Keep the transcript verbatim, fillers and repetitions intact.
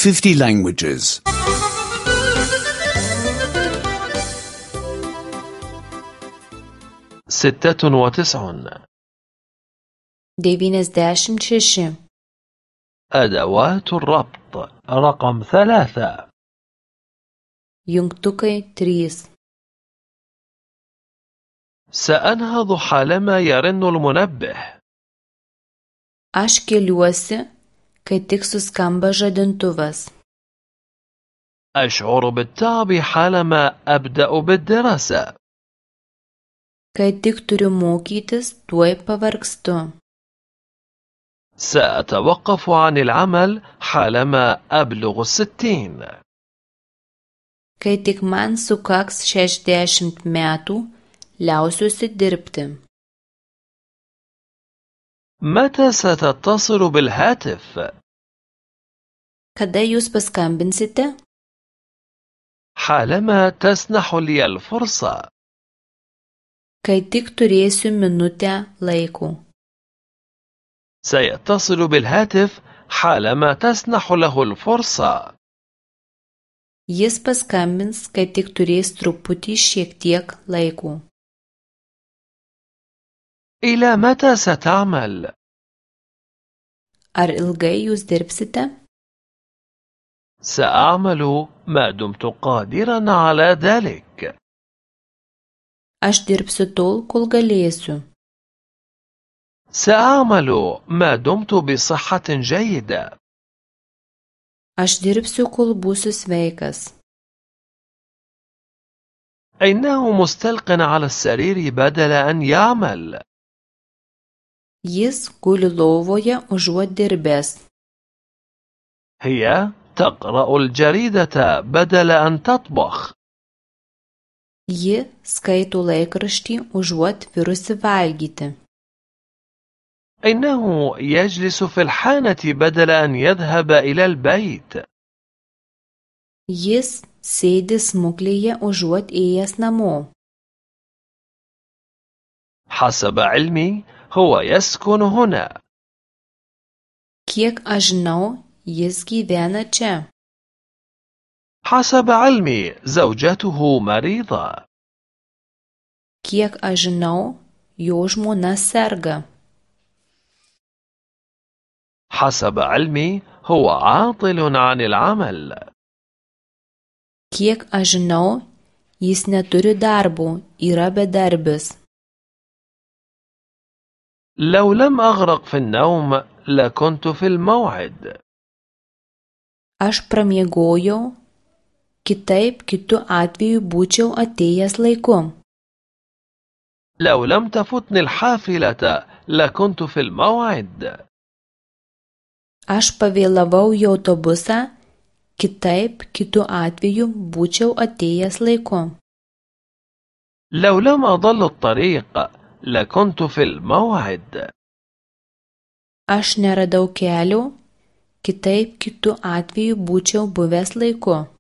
fifty languages. ستة وتسعون. devyniasdešimt šeši. أدوات الربط رقم ثلاثة. jungtukai trys. سأنهض حالما يرن المنبه. Aš keliuosi, kai tik suskamba žadintuvas. أشعر بالتعب حالما أبدأ بالدراسة. Kai tik turiu mokytis, tuoj pavargstu. سأتوقف عن العمل حالما أبلغ الستين. Kai tik man sukaks šešiasdešimt metų, liausiuosi dirbti. متى ستتصل بالهاتف؟ Kada jūs paskambinsite? حالما تسنح لي الفرصة. Kai tik turėsiu minutę laiko. سيتصل بالهاتف حالما تسنح له الفرصة. Jis paskambins, kai tik turės truputį šiek tiek laiko. إلى متى ستعمل؟ Ar ilgai jūs dirbsite? سأعمل ما دمت قادرا على ذلك. Aš dirbsiu tol, kol galėsiu. سأعمل ما دمت بصحة جيدة. Aš dirbsiu, kol būsiu sveikas. إنه مستلق على السرير بدل أن يعمل. Jis guli lovoje užuot dirbęs. هي تقرأ الجريدة بدل أن تطبخ. Ji skaito laikraštį užuot virusi valgyti. إنه يجلس في الحانة بدل أن يذهب إلى البيت. Jis sėdi smuklėje užuot ėjęs namo. حسب علمي هو يسكن هنا. Kiek aš žinau, jis gyvena čia. حسب علمي زوجته مريضة. Kiek aš žinau, jo žmona serga. حسب علمي هو عاطل عن العمل. Kiek aš žinau, jis neturi darbo, yra bedarbis. لو لم أغرق في النوم لكنت في الموعد. Aš pramiegojau, kitaip kitu atveju būčiau atėjęs laiku. لو لم تفوتني الحافلة لكنت في الموعد. Aš pavėlavau į autobusą, kitaip kitu atveju būčiau atėjęs laiku. لو لم أضل الطريق لكنت في الموعد. Aš neradau kelio, kitaip kitu atveju būčiau buvęs laiku.